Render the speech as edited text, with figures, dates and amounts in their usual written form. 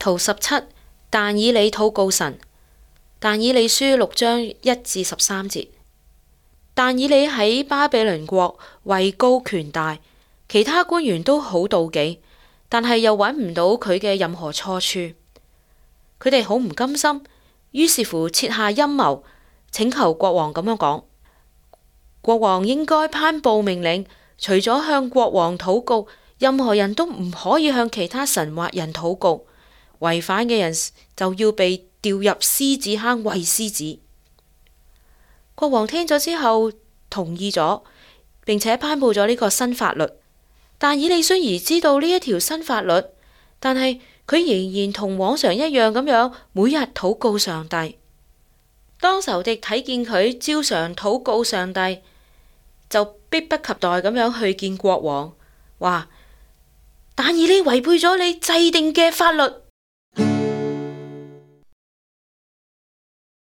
圖17，但以理禱告神。但以理書6章1至13節。但以理喺巴比倫國位高權大，其他官員都好妒忌，但係又揾唔到佢嘅任何錯處。佢哋好唔甘心，於是乎設下陰謀，請求國王咁樣講：國王應該頒布命令，除咗向國王禱告，任何人都唔可以向其他神或人禱告。違反嘅人就要被掉入獅子坑餵獅子。國王聽咗之後同意咗，並且頒布咗呢個新法律。但以理雖然知道呢一條新法律，但係佢仍然同往常一樣咁樣每日禱告上帝。當仇敵睇見佢照常禱告上帝，就迫不及待咁樣去見國王，話：但以理違背咗你制定嘅法律。